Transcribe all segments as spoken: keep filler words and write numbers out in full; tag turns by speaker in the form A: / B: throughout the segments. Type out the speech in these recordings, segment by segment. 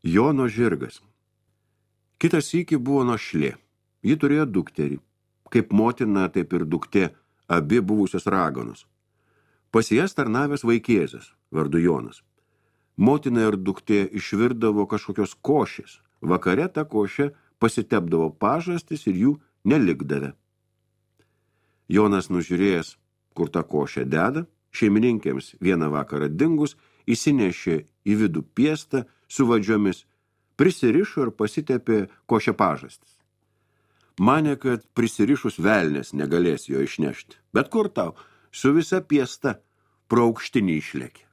A: Jono žirgas. Kitas sykį buvo našlė. Ji turėjo dukterį. Kaip motina, taip ir duktė, abi buvusios raganos. Pas jas tarnavęs vaikėzas, vardu Jonas. Motina ir duktė išvirdavo kažkokios košės. Vakare ta košė pasitepdavo pažastis ir jų nelikdavę. Jonas nužiūrėjęs, kur tą košę deda, šeimininkėms vieną vakarą dingus, įsinešė į vidų piestą su vadžiomis, prisirišo ir pasitepė košę pažastis. Manė, kad prisirišus velnės negalės jo išnešti. Bet kur tau, su visa piesta pro aukštinį išlėkė.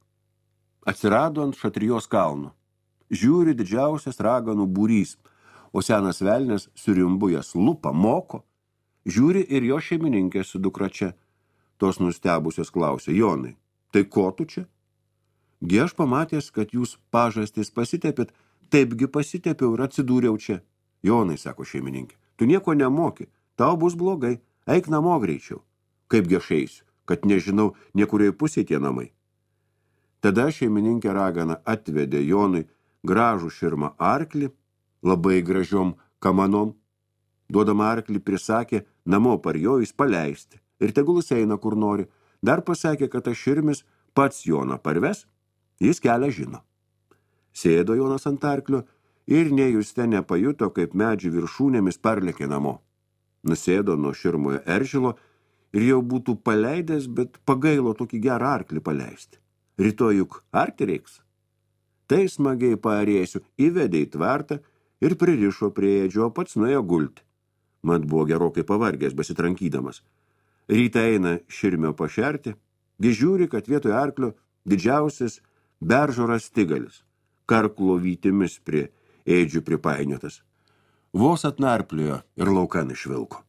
A: Atsirado ant Šatrijos kalno. Žiūri didžiausias raganų būrys, o senas velnės surimbu jas lupa, moko. Žiūri ir jo šeimininkė su dukra čia. Tos nustebusios klausė: Jonai, tai ko tu čia? Gi aš pamatęs, kad jūs pažastis pasitepėt, taipgi pasitepiau ir atsidūriau čia. Jonai, sako šeimininkė, tu nieko nemoki, tau bus blogai, eik namo greičiau. Kaipgi aš eisiu, kad nežinau, niekurioje pusėje tie namai. Tada šeimininkė ragana atvedė Jonui gražų širmą arklį, labai gražiom kamanom. Duodama arklį prisakė namo parjojus paleisti ir tegul jis eina kur nori. Dar pasakė, kad tas širmis pats Joną parves, jis kelią žino. Sėdo Jonas ant arklio ir nejuste nepajuto, kaip medžių viršūnėmis parlėkė namo. Nusėdo nuo širmojo eržilo ir jau būtų paleidęs, bet pagailo tokį gerą arklį paleisti. Rytoj juk arti reiks. Tai smagiai paarėsiu, įvedė į tvartą ir pririšo prie ėdžio, pats nuėjo gulti. Mat buvo gerokai pavargęs besitrankydamas. Rytą eina širmio pašerti, gi žiūri, kad vietoj arklio didžiausias beržo rastigalis, karklo vytimis prie ėdžių pripainiotas. Vos atnarpliojo ir laukan išvilko.